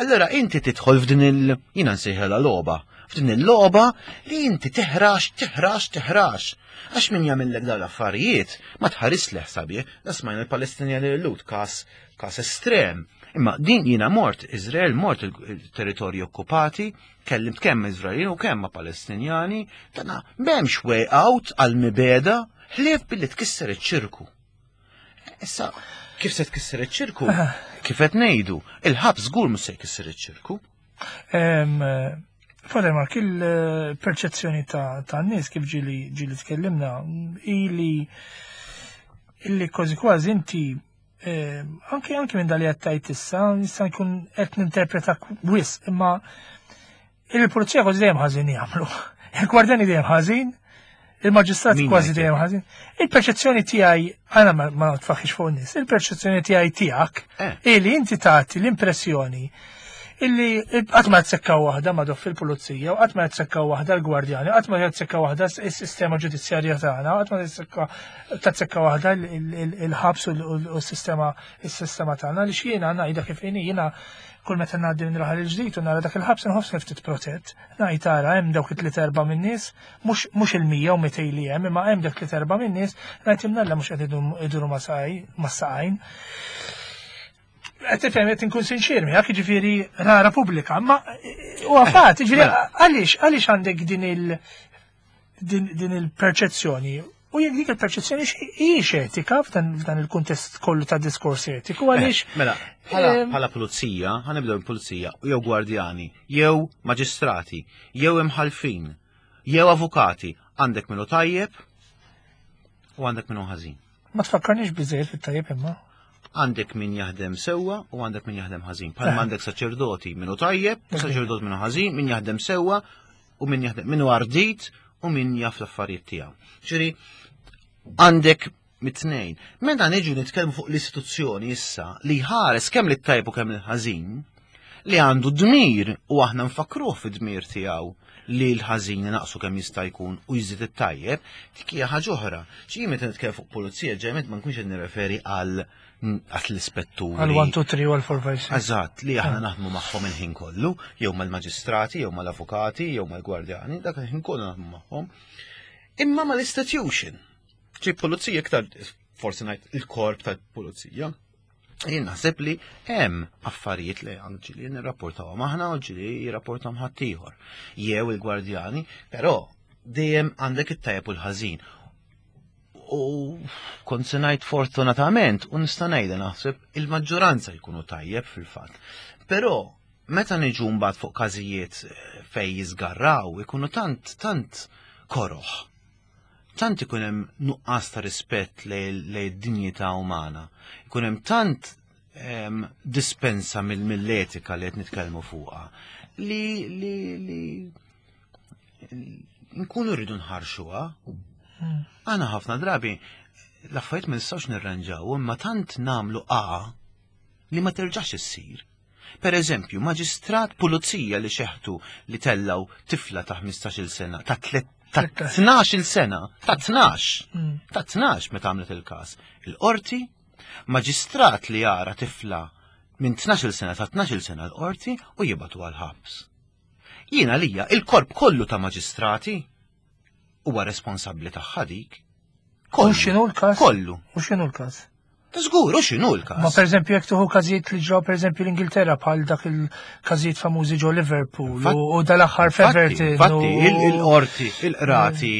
Allora inti tidħol f'din il jiena nsejħelha logħba, f'din il-logħba li inti teħrax, teħrax, teħrax. Għax min jagħmellek dawn l-affarijiet ma tħares leħ sabiħ, la smajna l-Palestinjani l-Lut kas kas estrem. Imma din jiena mort Izrael, mort il-territorji okkupati, kellimt kemm Iżraelin u kemm ma' Palestinjani, dana m'hemmx way out għal-mibeda, ħlief billi tkisser iċ-ċirku. Issa, kif se tkisser iċ-ċirku? Kif qed ngħidu, il-ħabs żgur mhux se jkisser iċ-ċirku. Father Mark, il-perċezzjoni ta' nies kif ġieli ġieli tkellimna ili illi kważi kważi inti anke anke minn dali qed tgħid issa nista' nkun qed ninterpreta wisq, imma il-pulizija kważi dejjem ħażin jagħmlu. Il-gwardjani dejjem ħażin, il-maġistrat kważi dejjem ħażin. Il-perċezzjoni tiegħi għana ma tfaħħix fuq nies, il-perċezzjoni tiegħi tiegħek illi inti tagħti l-impressjoni illi qatt ma tsekkaw waħda ma doff il-pulizija, u qatt ma tsekkaw waħda l-gwardjani, qatt ma tsekkaw waħda s-sistema ġudizzjarja tagħna, qatt ma tsekkaw waħda il-ħabs u s-sistema s-sistema tagħna li x'jiena ngħidha kif inhi jiena kull meta ngħaddi minn raħal il-ġdid u nara dak il-ħabs inħossni ftit protett. Ngħid tara hemm dawk it-tliet erba' min-nies, mhux mhux il-mija u mitej li hemm, imma hemm dak tliet erba' min-nies, ngħid imnalla mhux qed iduru ma' saqajn. Qed tifhem qed inkun sinċir miegħek, jiġifieri rara pubblika, ma huwa fatt, jiġifieri għaliex għaliex għandek din il din il-perċezzjoni. U jekk dik il-perċezzjoni hijiex etika f'dan il-kuntest kollu ta' diskors etiku, għaliex. Mela, bħala pulizija, ħanibdew mill-pulizija, jew gwardjani, jew maġistrati, jew imħalfin, jew avukati, għandek minnu tajjeb u għandek minnu ħażin. Ma tfakkarniex biżejjed fit-tajjeb imma. Għandek min jaħdem sewwa u għandek min jaħdem ħażin. Bħalma għandek saċerdoti minnu tajjeb, saċerdot minnu ħażin, min jaħdem sewwa u min jaħdem minnu ardit u min jaf l-affarijiet tiegħu. Ġifieri għandek Mit-tnejn. Meta niġu nitkellmu fuq l-istituzzjoni issa li ħares kemm lit-tajb u kemm il-ħażin, li għandu dmir u aħna nfakruh fid-dmir tiegħu li l-ħażin naqsu kemm jista' jkun u jżid it-tajjeb, dik hija ħaġa oħra. Ġi meta nitkellem fuq pulizija ġejmet ma nkunx qed nirreferi għal għal l-ispetturi. Għal one, two, three u għal four, five, six. Eżatt, li aħna naħdmu magħhom il-ħin kollu, jew mal-maġistrati, jew mal-avukati, jew mal-gwardjani, dak il-ħin kollu naħdmu magħhom. Imma mal-institution. Ġi pulizija iktar, forsi ngħid il-korp tal-pulizija. Jien naħseb li hemm affarijiet li ġieli nirrapportawhom aħna u ġieli jirrapportawhom ħaddieħor. Jew il-gwardjani, però dejjem għandek it-tajjeb u l-ħażin. U kont se ngħid fortunatament, u nista' ngħidha naħseb il-maġġoranza jkunu tajjeb fil-fatt. Però meta niġu mbagħad fuq każijiet eh, fej jiżgarraw ikunu tant tant koroħ. Tant ikun hemm nuqqas ta' rispett lejn id-dinjità umana. Ikun hemm tant em, dispensa mill- mill-etika li qed nitkellmu fuqha li li li nkunu rridu nħarxuha. Għana ħafna drabi l-affarijiet ma nistgħux nirranġaw, imma tant nagħmlu a li ma terġax issir. Per eżempju, maġistrat pulizija li xeħtu li tellaw tifla ta' ħmistax-il sena, ta' tlet ta' tnax-il sena, ta' tnax, ta' tnax meta għamlet il-każ. Il-qorti, maġistrat li jara tifla minn tnax-il sena ta' tnax-il sena l-qorti u jibatu għal-ħabs. Jiena lija il-korp kollu ta' maġistrati huwa responsabbli tagħha dik. U x'inhu l-każ? Kollu. U x'inhu l-każ? Ta' żgur, u x'inhu l-każ? Ma per eżempju jekk tieħu każijiet li ġraw per eżempju l-Ingilterra bħal dak il-każijiet famużi ġo Liverpool Infatti- u u dal-aħħar Infatti, f'Everton. Infatti, u- il- il-qorti, il-qrati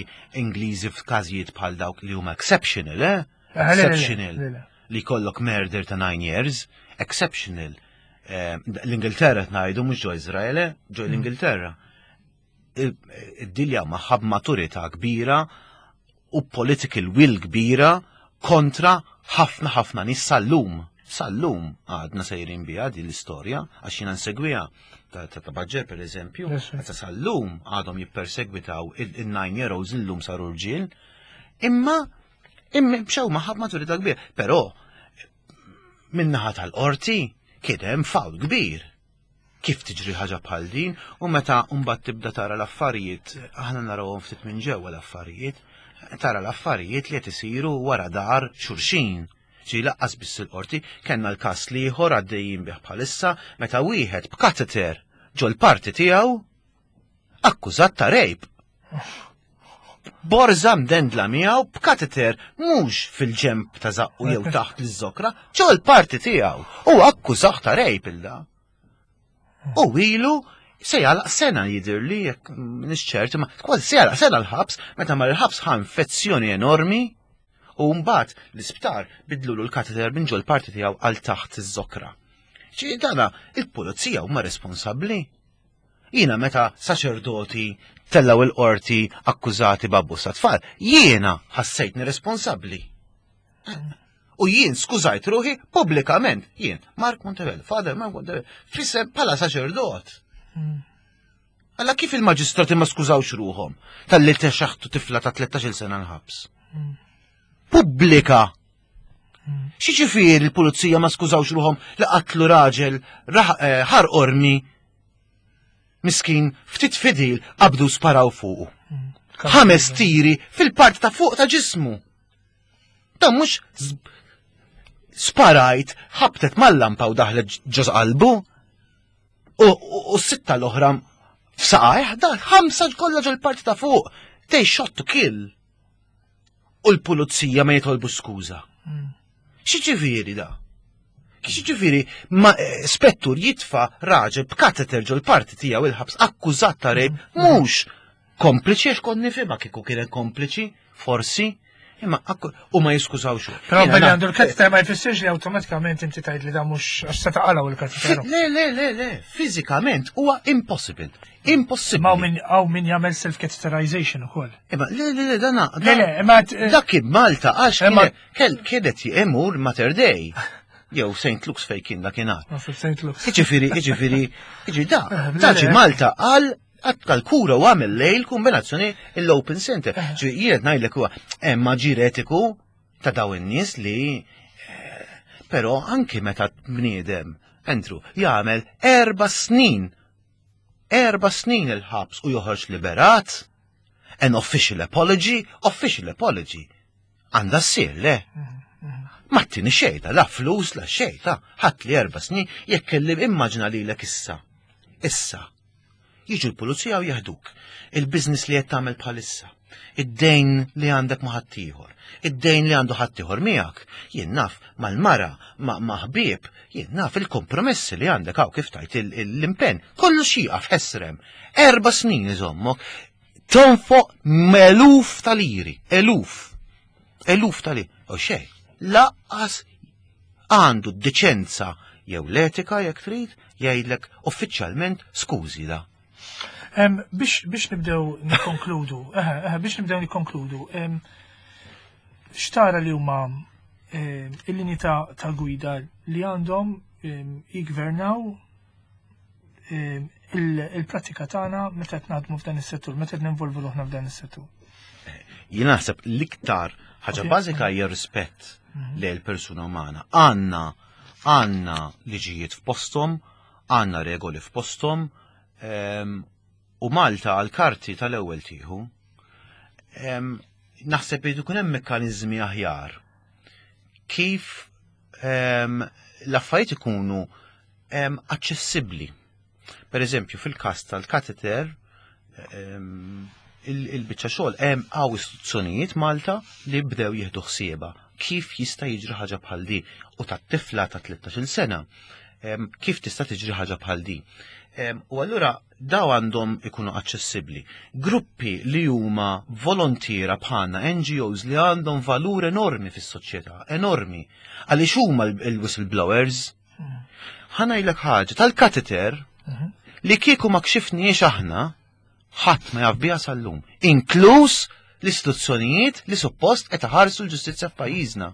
Ingliżi f'każijiet bħal dawk li huma exceptional, eh? Eh, le, le, le, Exceptional. le, le. Li kollok murder ta' nine years, exceptional. Eh, L-Ingilterra ngħidu mhux ġo Izrael, eh? Ġo l-Ingilterra. Il- Id-dilja magħha b'maturità kbira u political will kbira kontra ħafna ħafna nies sal-lum. Sal-lum għadna sejrin biha din l-istorja, għax jiena nsegwiha ta' ta' ta' Baġġer per eżempju, Yes, sir. ta' sal-lum għadhom jippersegwitaw il-nine year olds illum saru rġiel, imma imma bxew magħha b'maturità kbira. Però min-naħa tal-qorti kien hemm fawl kbir. Kif tiġri ħaġa bħal din u meta mbagħad tibda tara l-affarijiet, aħna narawhom ftit minn ġewwa l-affarijiet, tara l-affarijiet li qed isiru wara dar xulxin. Ġi laqqas biss il-qorti, kellna l-każ ieħor għaddejjin bih bħalissa meta wieħed b'kateter ġol parti tiegħu akkużat ta' rape. Borza mdendla miegħu b'kateter mhux fil-ġemp ta' zaqqu jew taħt l-żokra, ġol parti tiegħu u akkużat ta' rape il-da. U ilu se jagħlaq sena jidirli jekk m'iniex ċert, ma kważi se jagħlaq sena l-ħabs, meta mar il-ħabs ħa infezzjoni enormi u mbagħad l-isptar bidlulu l-kateter minn ġol parti tiegħu għal taħt iż-żokra. Ġi dana il-pulizija huma responsabbli. Jiena meta saċerdoti tellaw il-qorti akkużati b'abbuż ta' tfal, jiena ħassejtni responsabbli. U jien skużajt ruħi pubblikament, jien, Mark Montebello, Father Mark Montebello, fissem bħala saċerdot. Alla kif il-maġistrati ma skużawx ruħhom tal-li texaħtu tifla ta' tlettax-il sena l-ħabs? Pubblika! X'jiġifieri il-pulizija ma skużawx ruħhom li qatlu raġel eh, ħar ormi miskin ftit fidil qabdu sparaw fuqu. Ħames tiri fil-part ta' fuq ta' ġismu. Dan mhux sparajt ħabtet mal-lampa u daħlet ġo qalbu. U s-sitta l-oħra f'saqajh, da ħamsa kollha ġol parti ta' fuq. They shot to kill. U l-pulizija ma jitolbu skuża. X'jiġifieri da? X'jiġifieri ma eh, spettur jitfa raġel b'kateter ġol parti tiegħu il-ħabs akkużat ta' rape mhux kompliċi għax kont nifhimha kieku kienet kompliċi, forsi, imma u ma jiskużaw xu. Però billi għandu l-kateter ma jfissirx li awtomatikament inti tgħid li da mhux għax se taqalgħu il-kateter. Le, le, le, le, fiżikament huwa impossible. Impossible. Ma min hawn min jagħmel self-catheterization ukoll. Imma le, le, le, dana. Le, le, imma Dak kien Malta għax kienet jemur Mater Dei. Jew Saint Luke's fej kien dakinhar. Saint Luke's. Jiġifieri, jiġifieri, jiġifieri da, da ġi Malta għal għal kura u għamel lejl kombinazzjoni l-Open Center. Ġifieri jien ngħidlek huwa hemm aġir etiku Ta' daw in-nies li eh, però anki meta bniedem, Andrew, jagħmel erba' snin erba' snin il-ħabs u joħroġ liberat, an official apology, official apology. Għandha ssir, le? Ma ttini xejn ta, la flus, la xejn ta, ħadt li erba' snin, jekk kelli immaġina lilek issa. Issa. Jiġu l-pulizija u jeħduk. Il-biznis li qed tagħmel bħalissa. Id-dejn li għandek ma' ħaddieħor. Id-dejn li għandu ħaddieħor miegħek. Jien naf mal-mara, ma' ħbieb, jien naf il-kompromessi li għandek hawn kif tajt l-impenn. Kollu xieqaf ħesrem. Erba' snin iżommok. Tonfoq eluf ta' liri, eluf. Eluf ta' liri. U xejn, lanqas għandu d-deċenza jew l-etika jekk trid jgħidlek uffiċjalment skużi da. Biex biex nibdew nikkonkludu, biex nibdew nikkonkludu, x'tara li huma il-linji ta' gwida li għandhom jigvernaw il-pratika tagħna meta qed naħdmu f'dan is-settur, meta qed ninvolvu ruħna f'dan is-settur? Jien naħseb l-iktar ħaġa bażika hija rispett mhm. lejn il-persuna umana. Għandna għandna liġijiet f'posthom, għandna regoli f'posthom, u Malta għal-karti tal-ewwel tieħu. Naħseb li jkun hemm mekkaniżmi aħjar kif l-affarijiet ikunu aċċessibbli. Per eżempju, fil-każ tal-kateter, il-biċċa xogħol hemm hawn istituzzjonijiet Malta li bdew jieħdu ħsieba kif jista' jiġri ħaġa bħal di u tat-tifla ta' tlettax-il sena kif tista' tiġri ħaġa bħal di. U allura daw għandhom ikunu aċċessibbli. Gruppi li huma volontiera bħalna, N G Os li għandhom valur enormi fis-soċjetà, enormi. Għaliex huma l-whistleblowers. Ħa ngħidlek ħaġa, tal-kateter li kieku ma kxifniex aħna, ħadd ma jaf biha sal-lum, inkluż l-istituzzjonijiet li suppost qed iħarsu l-ġustizzja f'pajjiżna.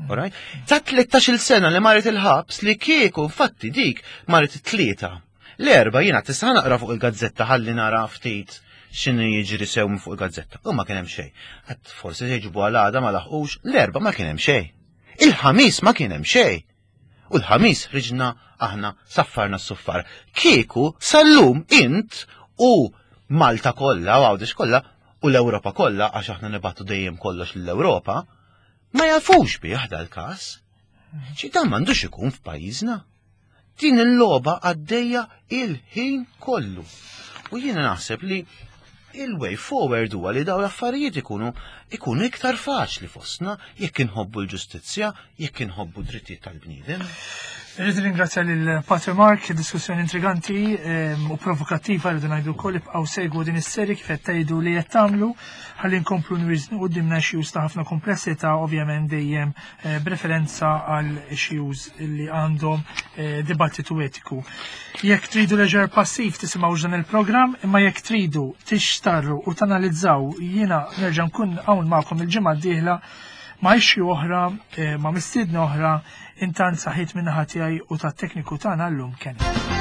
Alright? Ta' tlettax-il sena li marret il-ħabs li kieku infatti dik marret it-Tlieta. L-Erbgħa jiena tista' naqra fuq il-gazzetta ħalli nara ftit x'inhu jiġri sew minn fuq il-gazzetta. U ma kien hemm xejn. Għedt forsi se jġibu għal ma laħqux, l-Erbgħa ma kien hemm xejn. Il-Ħamis ma kien hemm xejn. U l-Ħamis ħriġna aħna saffarna s-suffar. Kieku sal-lum int u Malta kollha u Għawdex kollha u l-Ewropa kollha, għax aħna nibagħtu dejjem kollox l-Ewropa, ma jafux bih dal-każ. Xi dan m'għandux ikun f'pajjiżna. Din il-logħba għaddejja il-ħin kollu. U jiena naħseb li il-way forward huwa li daw l-affarijiet ikunu ikunu iktar faċli fostna jekk inħobbu l-ġustizzja, jekk inħobbu drittijiet tal-bniedem. Irrid ringrazzja lil Pater Mark, diskussjoni intriganti ehm, u provokattiva rridu ngħidu wkoll. Ibqgħu segwu din is-seri kif qed tgħidu li qed tagħmlu ħalli nkomplu nwiżnu quddiemna issues ta' ħafna komplessità, ovvjament dejjem eh, b'referenza għal issues li għandhom eh, dibattitu etiku. Jekk tridu leisure passiv tisimgħu dan il-programm, imma jekk tridu tixtarru u tanalizzaw, jiena nerġa' nkun hawn magħkom il-ġimgħa d-dieħla ma' issue oħra, eh, ma' mistiedna oħra, intant saħħiet min-naħa tiegħi u tat-tekniku tagħna llum Ken.